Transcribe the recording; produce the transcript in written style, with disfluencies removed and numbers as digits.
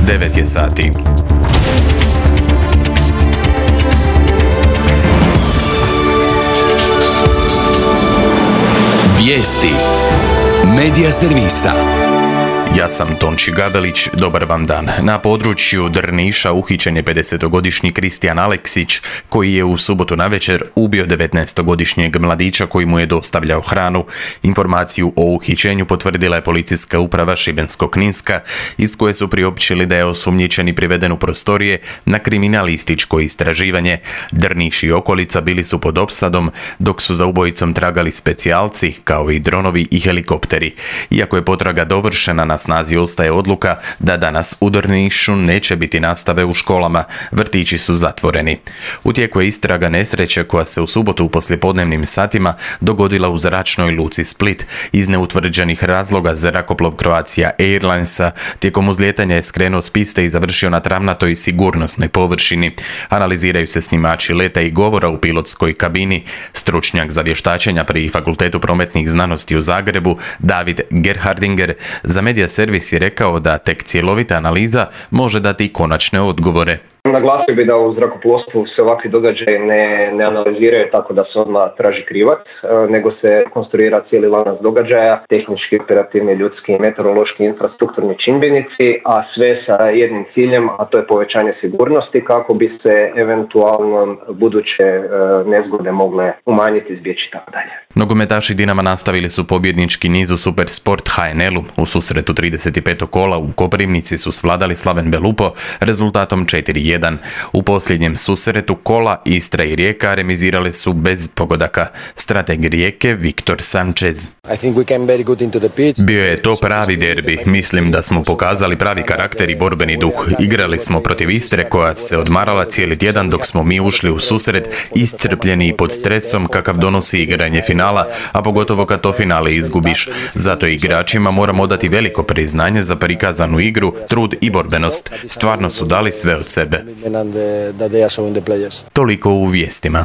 9 je sati. Vijesti Medija servisa. Ja sam Tonči Gabelić, dobar vam dan. Na području Drniša uhićen je 50-godišnji Kristijan Aleksić, koji je u subotu navečer ubio 19-godišnjeg mladića koji mu je dostavljao hranu. Informaciju o uhićenju potvrdila je policijska uprava Šibensko-kninska, iz koje su priopćili da je osumnjičeni priveden u prostorije na kriminalističko istraživanje. Drniš i okolica bili su pod opsadom, dok su za ubojicom tragali specijalci, kao i dronovi i helikopteri. Iako je potraga dovršena, na snazi ostaje odluka da danas u Drnišu neće biti nastave u školama, vrtići su zatvoreni. U tijeku je istraga nesreće koja se u subotu u poslijepodnevnim satima dogodila u zračnoj luci Split. Iz neutvrđenih razloga zrakoplov Croatia Airlinesa tijekom uzlijetanja je skrenuo s piste i završio na travnatoj sigurnosnoj površini. Analiziraju se snimači leta i govora u pilotskoj kabini. Stručnjak za vještačenja pri Fakultetu prometnih znanosti u Zagrebu, David Gerhardinger, za Medija servis je rekao da tek cjelovita analiza može dati konačne odgovore. Naglasio bi da u zrakoplovstvu se ovakvi događaji ne analiziraju tako da se odmah traži krivac, nego se konstruira cijeli lanac događaja, tehnički, operativni, ljudski, meteorološki, infrastrukturni čimbenici, a sve sa jednim ciljem, a to je povećanje sigurnosti kako bi se eventualno buduće nezgode mogle umanjiti, izbjeći itd. Nogometaši Dinama nastavili su pobjednički niz u Supersport HNL-u. U susretu 35. kola u Koprivnici su svladali Slaven Belupo rezultatom 4:1. U posljednjem susretu kola Istra i Rijeka remizirale su bez pogodaka. Strateg Rijeke Viktor Sanchez: Bio je to pravi derbi. Mislim da smo pokazali pravi karakter i borbeni duh. Igrali smo protiv Istre koja se odmarala cijeli tjedan dok smo mi ušli u susret iscrpljeni i pod stresom kakav donosi igranje finala, a pogotovo kad to finale izgubiš. Zato igračima moramo dati veliko priznanje za prikazanu igru, trud i borbenost. Stvarno su dali sve od sebe. Toliko u vijestima.